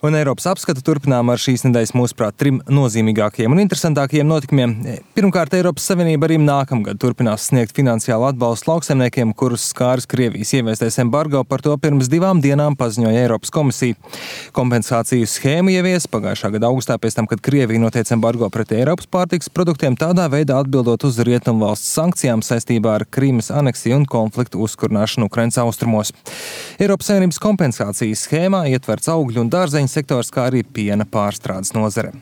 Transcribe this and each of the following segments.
Un Eiropas apskatu turpinām ar šīs nedēļas mūsuprāt 3 nozīmīgākajiem un interesantākajiem notikumiem. Pirmkārt, Eiropas Savienība arī nākamgad turpinās sniegt finansiālu atbalstu lauksaimniekiem, kurus skāris Krievijas ieviestais embargo. Par to pirms 2 dienām paziņoja Eiropas komisija. Kompensāciju schēmu ievies pagājušā gada augustā pēc tam, kad Krievija noteica embargo pret Eiropas pārtikas produktiem, tādā veidā atbildot uz rietumvalsts sankcijām saistībā ar Krīmas aneksiju un konfliktu uzkurināšanu Ukrainas austrumos. Eiropas Savienības kompensācijas schēmā ietverts augļu un dārzeņu sektors, kā arī piena pārstrādes nozare.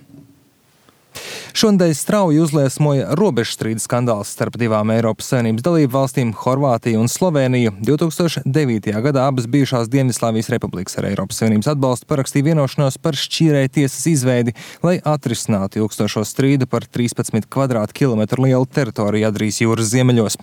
Šonedēļ strauji uzliesmoja robežstrīdu skandāls starp 2 Eiropas Savienības dalību valstīm - Horvātiju un Slovēniju. 2009. gadā abas bijušās Dienvidslāvijas republikas ar Eiropas Savienības atbalstu parakstīja vienošanos par šķīrēju tiesas izveidi, lai atrisinātu ilgstošo strīdu par 13 kvadrātkilometru lielu teritoriju Adrijas jūras ziemeļos.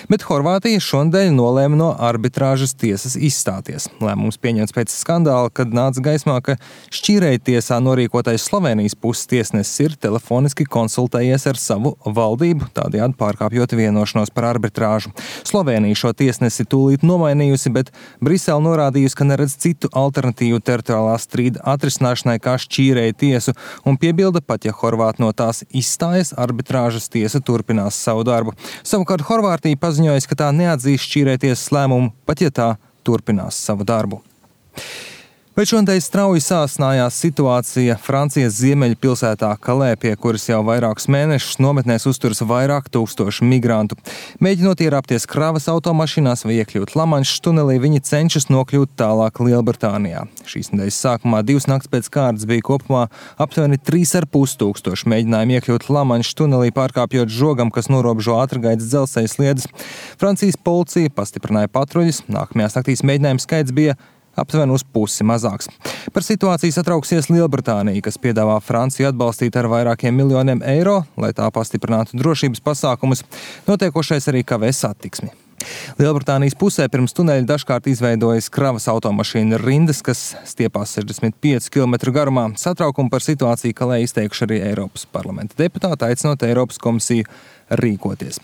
Bet Horvātija šonedēļ nolēma no arbitrāžas tiesas izstāties. Lēmums pieņemts pēc skandāla, kad nāca gaismā, ka šķīrēju tiesā norīkotais Slovēnijas puses tiesnesis ir telefoniski konsultējies ar savu valdību, tādējādi pārkāpjot vienošanos par arbitrāžu. Slovēnija šo tiesnesi tūlīt nomainījusi, bet Brisele norādījusi, ka neredz citu alternatīvu teritoriālā strīda atrisināšanai kā šķīrēju tiesu un piebilda, pat ja Horvāti no tās izstājas, arbitrāžas tiesa turpinās savu darbu. Savukārt Horvātija paziņojas, ka tā neatzīs šķīrēju tiesas lēmumu, pat ja tā turpinās savu darbu. Bet šodien strauji sāsinājās situācija Francijas ziemeļu pilsētā Kalē, pie kuras jau vairākus mēnešus nometnēs uzturas vairāk tūkstoši migrantu. Mēģinot ierāpties kravas automašīnās vai iekļūt Lamanšas tunelī, viņi cenšas nokļūt tālāk Lielbritānijā. Šīs nedēļas sākumā 2 nakts pēc kārtas bija kopumā aptuveni 3,5 tūkstoši mēģinājumu iekļūt Lamanšas tunelī, pārkāpjot žogam, kas norobežo ātrgaitas dzelzceļa sliedes. Francijas policija pastiprināja patruļas, nākamajās naktīs mēģinājumu skaits bija aptuveni uz pusi mazāks. Par situāciju satrauksies Lielbritānija, kas piedāvā Franciju atbalstīt ar vairākiem miljoniem eiro, lai tā pastiprinātu drošības pasākumus. Notiekošais arī kavē satiksmi. Lielbritānijas pusē pirms tuneļa dažkārt izveidojas kravas automašīnu rindas, kas stiepās 65 km garumā. Satraukumu par situāciju Kalē izteikuši arī Eiropas parlamenta deputāti, aicinot Eiropas komisiju rīkoties.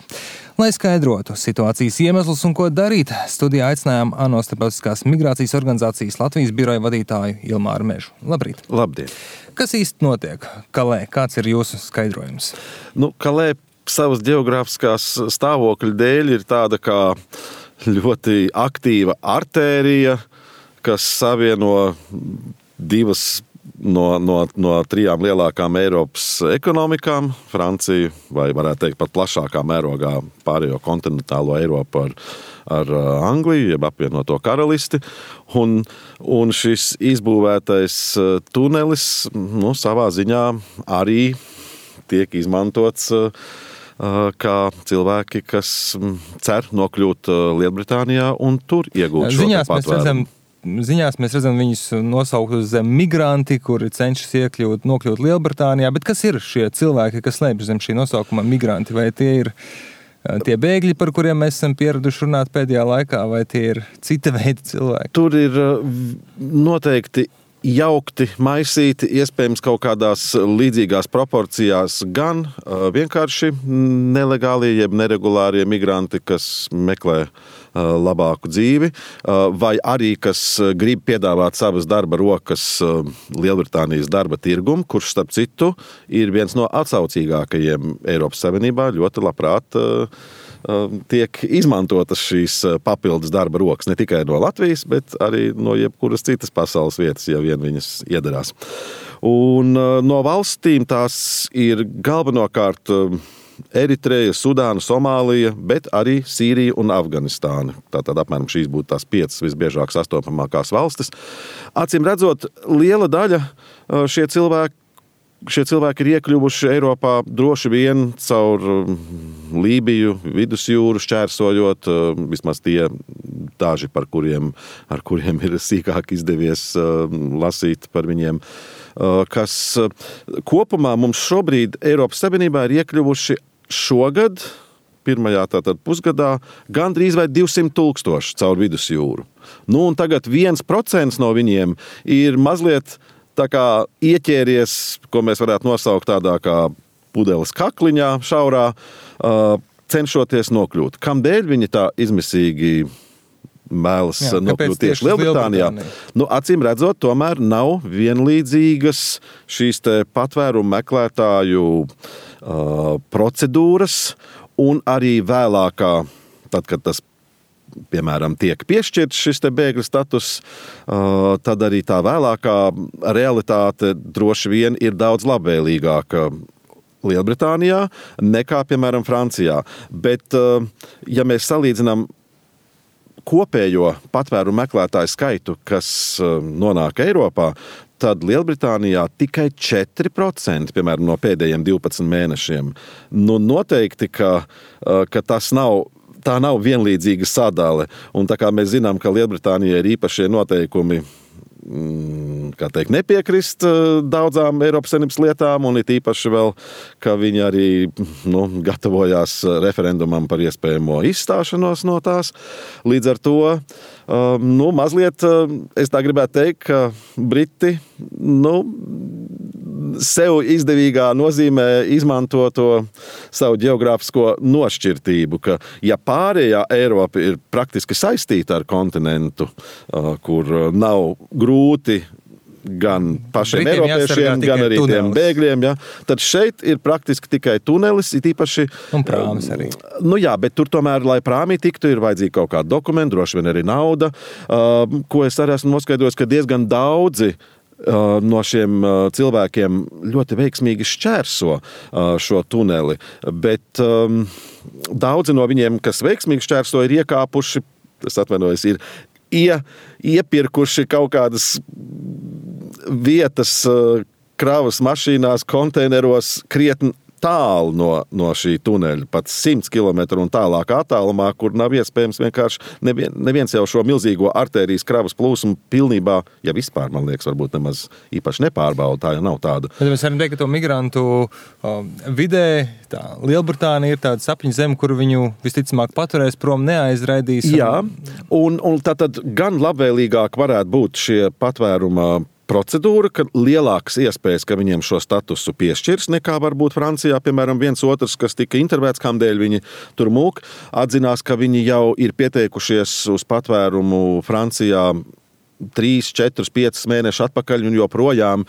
Lai skaidrotu situācijas iemeslus un ko darīt, studijā aicinājām ANO starptautiskās migrācijas organizācijas Latvijas biroja vadītāju Ilmāru Mežu. Labrīt! Labdien! Kas īsti notiek Kalē? Kāds ir jūsu skaidrojums? Kalē savas geogrāfiskās stāvokļa dēļ ir tāda kā ļoti aktīva artērija, kas savieno 2 no 3 lielākām Eiropas ekonomikām, Franciju, vai varētu teikt pat plašākā mērogā pārējo kontinentālo Eiropu ar Angliju, jeb apvienoto karalisti. Un šis izbūvētais tunelis savā ziņā arī tiek izmantots kā cilvēki, kas cer nokļūt Lielbritānijā un tur iegūt šo patvērumu. Ziņās mēs redzam viņus nosaukt uz zem migranti, kuri cenšas nokļūt Lielbritānijā, bet kas ir šie cilvēki, kas slēpjas zem šī nosaukuma migranti? Vai tie ir tie bēgļi, par kuriem mēs esam pieraduši runāt pēdējā laikā, vai tie ir cita veida cilvēki? Tur ir noteikti jaukti, maisīti, iespējams kaut kādās līdzīgās proporcijās gan vienkārši nelegālie, jeb neregulārie migranti, kas meklē labāku dzīvi, vai arī, kas grib piedāvāt savas darba rokas Lielbritānijas darba tirgumu, kurš, starp citu, ir viens no atsaucīgākajiem Eiropas Savienībā, ļoti labprāt tiek izmantotas šīs papildus darba rokas ne tikai no Latvijas, bet arī no jebkuras citas pasaules vietas, ja vien viņas iedarās. Un no valstīm tās ir galvenokārt Eritreja, Sudāna, Somālija, bet arī Sīrija un Afganistāna. Tātad apmēram šīs būtu tās 5 visbiežāk sastopamākās valstis. Acīm redzot, liela daļa šie cilvēki ir iekļuvuši Eiropā droši vien caur Lībiju, vidusjūru šķērsojot, vismaz tie daži, ar kuriem ir sīkāk izdevies lasīt par viņiem, kas kopumā mums šobrīd Eiropas Savienībā ir iekļuvuši šogad, pirmajā tātad pusgadā, gandrīz vai 200,000 caur vidusjūru. Un tagad 1% no viņiem ir mazliet tā kā ieķēries, ko mēs varētu nosaukt tādā kā pudeles kakliņā šaurā, cenšoties nokļūt. Kamdēļ viņi tā izmisīgi mēlas nokļūt tieši Lielbritānijā. Acīm redzot, tomēr nav vienlīdzīgas šīs te patvērumu meklētāju procedūras, un arī vēlākā, tad, kad tas piemēram, tiek piešķirts šis te bēgļu status, tad arī tā vēlākā realitāte droši vien ir daudz labvēlīgāka Lielbritānijā nekā, piemēram, Francijā. Bet, ja mēs salīdzinām kopējo patvērumu meklētāju skaitu, kas nonāk Eiropā, tad Lielbritānijā tikai 4%, piemēram, no pēdējiem 12 mēnešiem. Noteikti, ka tā nav vienlīdzīga sadale. Un tā kā mēs zinām, ka Lielbritānijai ir īpašie noteikumi, kā teikt, nepiekrist daudzām Eiropas Savienības lietām, un it īpaši vēl, ka viņi arī gatavojās referendumam par iespējamo izstāšanos no tās. Līdz ar to, mazliet, es tā gribētu teikt, ka Briti, sev izdevīgā nozīmē izmanto to savu ģeogrāfisko nošķirtību, ka ja pārējā Eiropa ir praktiski saistīta ar kontinentu, kur nav grūti gan pašiem Britiem eiropiešiem, gan arī tunelis. tiem bēgļiem, tad šeit ir praktiski tikai tunelis, it īpaši. Un prāmis arī. Bet tur tomēr, lai prāmī tiktu, ir vajadzīga kaut kāda dokumenta, droši vien arī nauda, ko es arī esmu noskaidrojis, ka diezgan daudzi no šiem cilvēkiem ļoti veiksmīgi šķērso šo tuneli, bet daudzi no viņiem, kas veiksmīgi šķērso, ir iekāpuši, es atvainojos, ir iepirkuši kaut kādas vietas kravas mašīnās, konteineros krietni tālu no šī tuneļa, pat 100 km un tālāk attālumā, kur nav iespējams vienkārši neviens jau šo milzīgo artērijas kravas plūsmu pilnībā, ja vispār, man liekas, varbūt nemaz īpaši nepārbauda, tā jau nav tāda. Bet mēs varam teikt, ka to migrantu vidē, Lielbritānija ir tāda sapņu zeme, kur viņu visticamāk paturēs prom, neaizraidīs. Jā, un tātad gan labvēlīgāk varētu būt šie patvēruma procedūra, ka lielākas iespējas, ka viņiem šo statusu piešķirs, nekā varbūt Francijā, piemēram, viens otrs, kas tika intervēts, kamdēļ viņi tur mūk, atzinās, ka viņi jau ir pieteikušies uz patvērumu Francijā 3, 4, 5 mēneši atpakaļ, un joprojām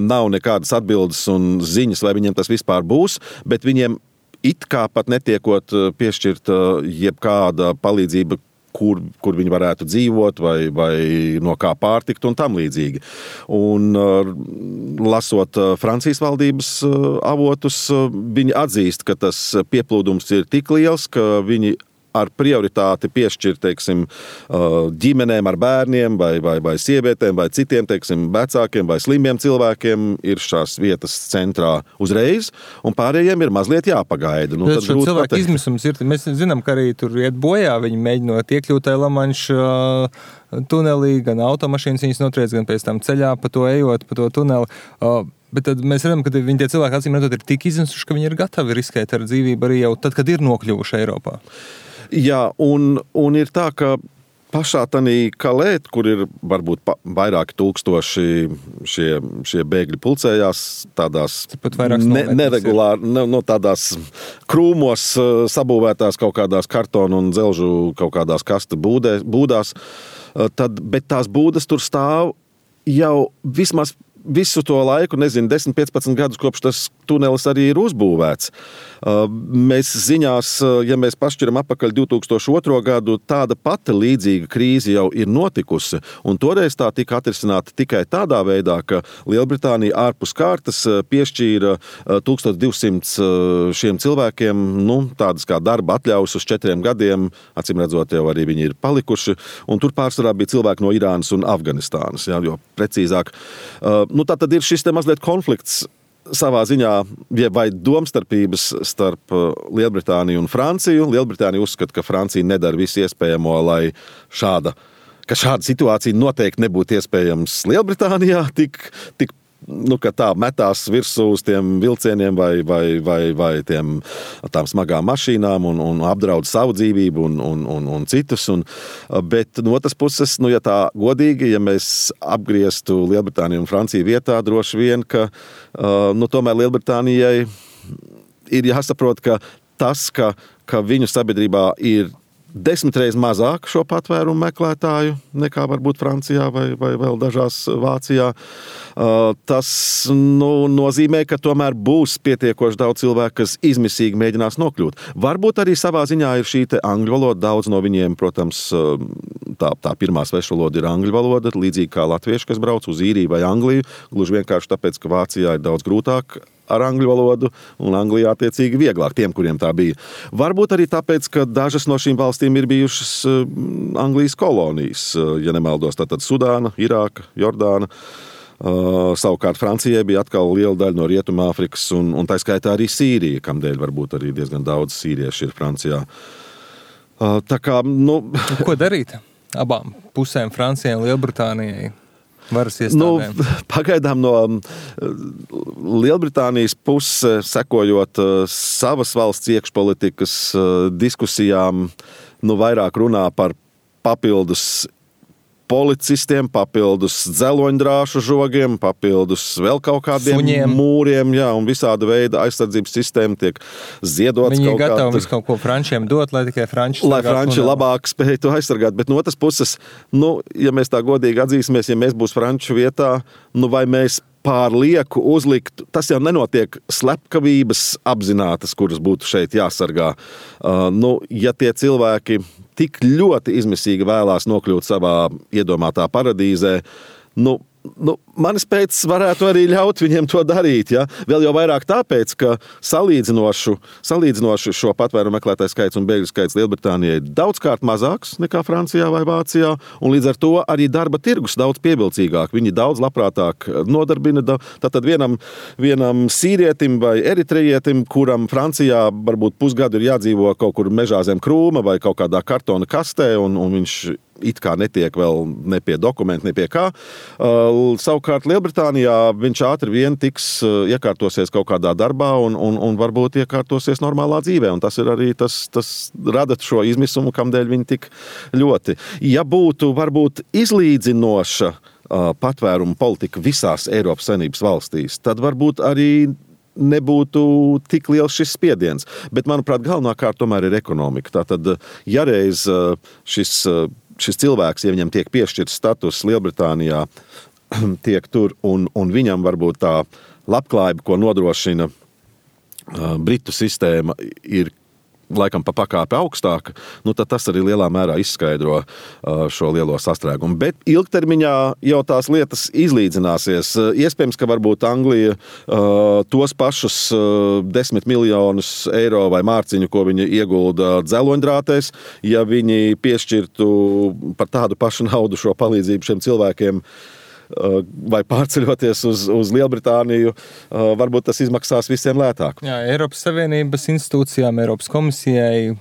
nav nekādas atbildes un ziņas, vai viņiem tas vispār būs, bet viņiem it kā pat netiekot piešķirt jebkāda palīdzība, kur viņi varētu dzīvot vai no kā pārtikt un tam līdzīgi. Un lasot Francijas valdības avotus, viņi atzīst, ka tas pieplūdums ir tik liels, ka viņi ar prioritāti piešķirt, teiksim, ģimenēm ar bērniem vai sievietēm vai citiem, teiksim, vecākiem vai slimiem cilvēkiem ir šās vietas centrā uzreiz, un pārējiem ir mazliet jāpagaida. Tad šo cilvēku izmisums ir, mēs zinām, ka arī tur iet bojā, viņi mēģinot iekļūt Lamanša tunelī, gan automašīnas viņas notriec, gan pēc tam ceļā pa to ejot, pa to tuneli. Bet tad mēs redzam, ka viņi tie cilvēki acīm redzot ir tik izmisuši, ka viņi ir gatavi riskēt ar dzīvību arī jau tad, kad ir nokļuvuši Eiropā. Jā, un ir tā, ka pašā tanī Kalē, kur ir varbūt vairāki tūkstoši šie bēgļi pulcējās, tādās neregulāri, tādās krūmos sabūvētās kaut kādās kartonu un dzelžu kaut kādās kasta būdās, bet tās būdas tur stāv jau vismaz visu to laiku, 10-15 gadus, kopš tas tunelis arī ir uzbūvēts. Mēs ziņās, ja mēs pašķiram apakaļ 2002. gadu, tāda pati līdzīga krīze jau ir notikusi, un toreiz tā tika atrisināta tikai tādā veidā, ka Lielbritānija ārpus kārtas piešķīra 1200 šiem cilvēkiem, tādas kā darba atļaus uz 4 gadiem, acīm redzot, jau arī viņi ir palikuši, un tur pārsvarā bija cilvēki no Irānas un Afganistānas, jo precīzāk. Tā tad ir šis te mazliet konflikts savā ziņā, vai domstarpības starp Lielbritāniju un Franciju. Lielbritānija uzskata, ka Francija nedara visu iespējamo, lai šāda situācija noteikti nebūtu iespējams Lielbritānijā, tik ka tā metās virsū uz tiem vilcieniem vai tām smagām mašīnām un apdraud savu dzīvību un citus. Bet no otras puses, ja tā godīgi, ja mēs apgrieztu Lielbritāniju un Franciju vietā, droši vien, ka tomēr Lielbritānijai ir jāsaprot, ka tas, ka viņu sabiedrībā ir 10 reizes mazāk šo patvērumu meklētāju nekā varbūt Francijā vai vēl dažās Vācijā. Tas nozīmē, ka tomēr būs pietiekoši daudz cilvēku, kas izmisīgi mēģinās nokļūt. Varbūt arī savā ziņā ir šī te angļu valoda. Daudz no viņiem, protams, tā pirmā svešvaloda ir angļu valoda, līdzīgi kā latvieši, kas brauc uz Īriju vai Angliju, gluži vienkārši tāpēc, ka Vācijā ir daudz grūtāk ar angļu valodu, un Anglijā attiecīgi vieglāk tiem, kuriem tā bija. Varbūt arī tāpēc, ka dažas no šīm valstīm ir bijušas Anglijas kolonijas, ja nemaldos, tātad Sudāna, Irāka, Jordāna. Savukārt Francijai bija atkal liela daļa no Rietumāfrikas, un tā skaitā arī Sīrija, kamdēļ varbūt arī diezgan daudz sīrieši ir Francijā. Tā kā, Ko darīt abām pusēm, Francijai un Lielbritānijai? Varas iestādēm? Pagaidām no Lielbritānijas puses, sekojot savas valsts iekšpolitikas diskusijām, vairāk runā par papildus policistiem, papildus dzeloņdrāšu žogiem, papildus vēl kaut kādiem Suņiem. Mūriem, jā, un visāda veida aizsardzības sistēma tiek ziedots. Viņi ir gatavi visu kaut ko frančiem dot, lai tikai franči lai franči labāk spēj to aizsargāt. Bet no otras puses, ja mēs tā godīgi atzīsimies, ja mēs būs franču vietā, vai mēs pārlieku uzlikt, tas jau nenotiek slepkavības apzinātas, kuras būtu šeit jāsargā. Ja tie cilvēki tik ļoti izmisīgi vēlās nokļūt savā iedomātā paradīzē, manis pēc varētu arī ļaut viņiem to darīt. Ja? Vēl jau vairāk tāpēc, ka salīdzinoši šo patvērumu meklētāju skaits un bēgļu skaits Lielbritānijai ir daudzkārt mazāks nekā Francijā vai Vācijā, un līdz ar to arī darba tirgus daudz pievilcīgāk. Viņi daudz labprātāk nodarbina. Tātad vienam sīrietim vai eritrejietim, kuram Francijā varbūt pusgadu ir jādzīvo kaut kur mežā zem krūma vai kaut kādā kartona kastē, un viņš it kā netiek vēl ne pie dokumentu, ne pie kā. Savukārt Lielbritānijā viņš ātri vien iekārtosies kaut kādā darbā un varbūt iekārtosies normālā dzīvē. Un tas ir arī tas rada šo izmisumu, kamdēļ viņi tik ļoti. Ja būtu varbūt izlīdzinoša patvērumu politika visās Eiropas Savienības valstīs, tad varbūt arī nebūtu tik liels šis spiediens. Bet, manuprāt, galvenākārt tomēr ir ekonomika. Tātad, ja reiz šis cilvēks, ja viņam tiek piešķirts status Lielbritānijā, tiek tur, un viņam varbūt tā labklājība, ko nodrošina Britu sistēma, ir laikam pa pakāpi augstāka, tad tas arī lielā mērā izskaidro šo lielo sastrēgumu. Bet ilgtermiņā jau tās lietas izlīdzināsies. Iespējams, ka varbūt Anglija tos pašus 10 miljonus eiro vai mārciņu, ko viņi iegulda dzeloņdrātēs, ja viņi piešķirtu par tādu pašu naudu šo palīdzību šiem cilvēkiem, vai pārceļoties uz Lielbritāniju, varbūt tas izmaksās visiem lētāk. Jā, Eiropas Savienības institūcijām, Eiropas komisijai,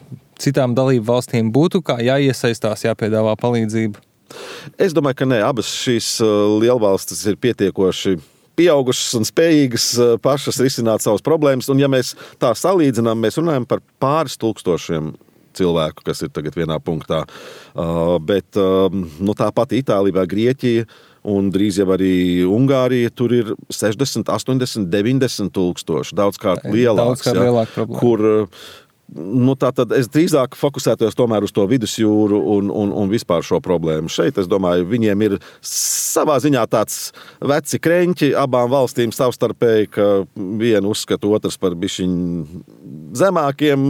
citām dalību valstīm būtu kā jāiesaistās, jāpiedāvā palīdzību? Es domāju, ka nē, abas šīs lielvalstis ir pietiekoši pieaugušas un spējīgas pašas risināt savas problēmas, un ja mēs tā salīdzinām, mēs runājam par pāris tūkstošiem cilvēku, kas ir tagad vienā punktā, bet tāpat Itālija vai Grieķija, un drīz jau arī Ungārija, tur ir 60, 80, 90 tūkstoši, daudzkārt lielāks, lielāka problēma. Kur tātad es drīzāk fokusētos tomēr uz to vidusjūru un vispār šo problēmu. Šeit, es domāju, viņiem ir savā ziņā tāds veci kreņķi abām valstīm savstarpēji, ka vienu uzskata otrs par bišķiņu zemākiem,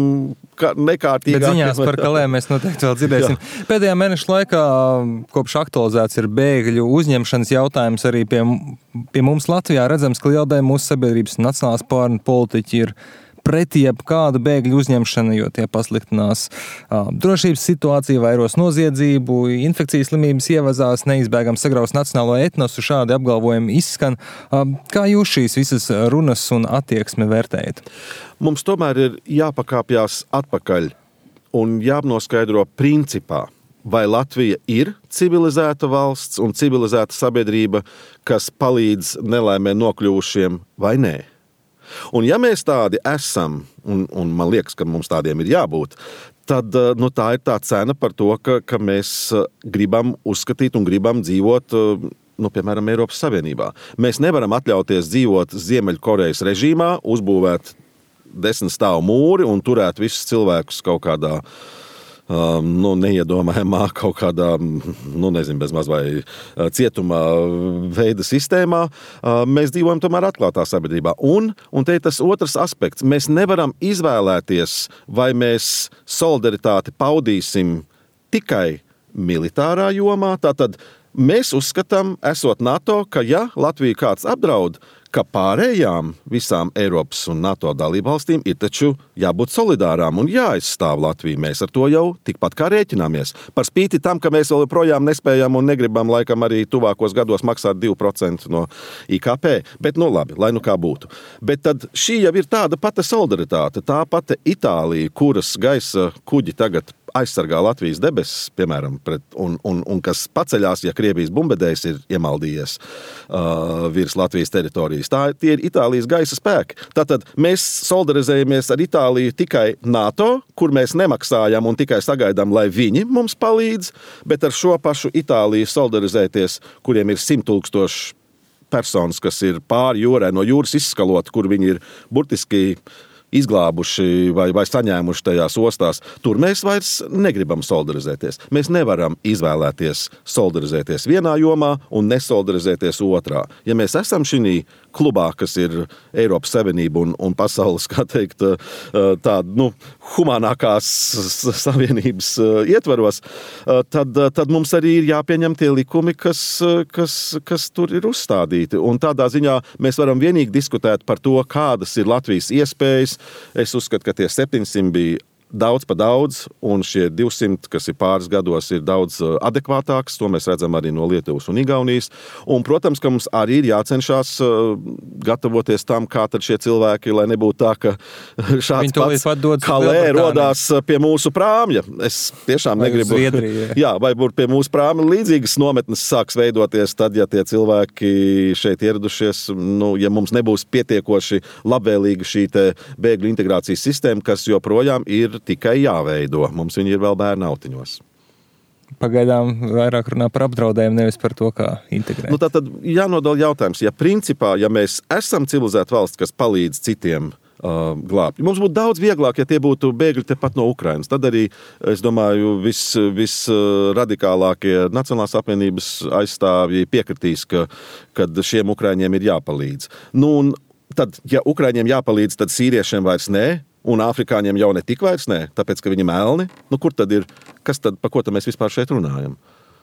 nekārtīgākiem. Bet ziņās par Kalēm mēs noteikti vēl dzirdēsim. Pēdējā mēneša laikā, kopš aktualizēts ir bēgļu uzņemšanas jautājums arī pie mums Latvijā, redzams, ka liela daļa mūsu sabiedrības nacionālās pārnu politiķi ir pret jebkādu bēgļu uzņemšanu, jo tie pasliktinās drošības situāciju, vairos noziedzību, infekcijas slimības ievazās, neizbēgam sagraus nacionālo etnosu, šādi apgalvojumi izskan. Kā jūs šīs visas runas un attieksmi vērtējat? Mums tomēr ir jāpakāpjās atpakaļ un jānoskaidro principā, vai Latvija ir civilizēta valsts un civilizēta sabiedrība, kas palīdz nelaimē nokļuvušiem vai nē. Un ja mēs tādi esam, un man liekas, ka mums tādiem ir jābūt, tad tā ir tā cena par to, ka mēs gribam uzskatīt un gribam dzīvot, piemēram, Eiropas Savienībā. Mēs nevaram atļauties dzīvot Ziemeļkorejas režīmā, uzbūvēt 10 stāvu mūri un turēt visus cilvēkus kaut kādā neiedomājamā kaut kādā, bezmaz vai cietumā veida sistēmā. Mēs dzīvojam tomēr atklātā sabiedrībā. Un te ir tas otrs aspekts. Mēs nevaram izvēlēties, vai mēs solidaritāti paudīsim tikai militārā jomā. Tātad mēs uzskatām, esot NATO, ka ja Latviju kāds apdraud, ka pārējām visām Eiropas un NATO dalībvalstīm ir taču jābūt solidārām un jāaizstāv Latviju. Mēs ar to jau tikpat kā rēķināmies. Par spīti tam, ka mēs vēl projām nespējam un negribam laikam arī tuvākos gados maksāt 2% no IKP. Bet labi, lai kā būtu. Bet tad šī jau ir tāda pati solidaritāte, tā pati Itālija, kuras gaisa kuģi tagad aizsargā Latvijas debesis, piemēram, un kas paceļās, ja Krievijas bumbedējs ir iemaldījies virs Latvijas teritorijas. Tie ir Itālijas gaisa spēki. Tātad mēs solidarizējamies ar Itāliju tikai NATO, kur mēs nemaksājam un tikai sagaidām, lai viņi mums palīdz, bet ar šo pašu Itāliju solidarizēties, kuriem ir 100,000 personas, kas ir pāri jūrai, no jūras izskalot, kur viņi ir burtiski izglābuši vai saņēmuši tajās ostās, tur mēs vairs negribam solidarizēties. Mēs nevaram izvēlēties solidarizēties vienā jomā un nesolidarizēties otrā. Ja mēs esam šī klubā, kas ir Eiropas Savienība un pasaules, kā teikt, humānākās savienības ietvaros, tad mums arī ir jāpieņem tie likumi, kas tur ir uzstādīti. Un tādā ziņā mēs varam vienīgi diskutēt par to, kādas ir Latvijas iespējas. Es uzskatu, ka tie 700 bija daudz pa daudz, un šie 200, kas ir pāris gados, ir daudz adekvātāks. To mēs redzam arī no Lietuvas un Igaunijas. Un, protams, ka mums arī ir jācenšas gatavoties tam, kā tad šie cilvēki, lai nebūtu tā, ka šāds pats Kalē rodās pie mūsu prāmja. Es tiešām negribu. Jā, vai pie mūsu prāmja līdzīgas nometnes sāks veidoties tad, ja tie cilvēki šeit ieradušies, ja mums nebūs pietiekoši labvēlīga šī te bēgļu integrācijas sistēma, kas joprojām ir tikai jāveido. Mums viņi ir vēl bērnu autiņos. Pagaidām vairāk runā par apdraudējumu, nevis par to, kā integrēt. Tad jānodala jautājums. Ja mēs esam civilizēta valsts, kas palīdz citiem glābt. Mums būtu daudz vieglāk, ja tie būtu bēgļi tepat no Ukrainas. Tad arī, es domāju, visradikālākie Nacionālās apvienības aizstāvji piekritīs, ka šiem ukraiņiem ir jāpalīdz. Un tad, ja ukraiņiem jāpalīdz, tad sīriešiem vairs nē, un afrikāņiem jau ne tik vairs nē, tāpēc, ka viņi melni. Kur tad ir, kas tad, pa ko tad mēs vispār šeit runājam?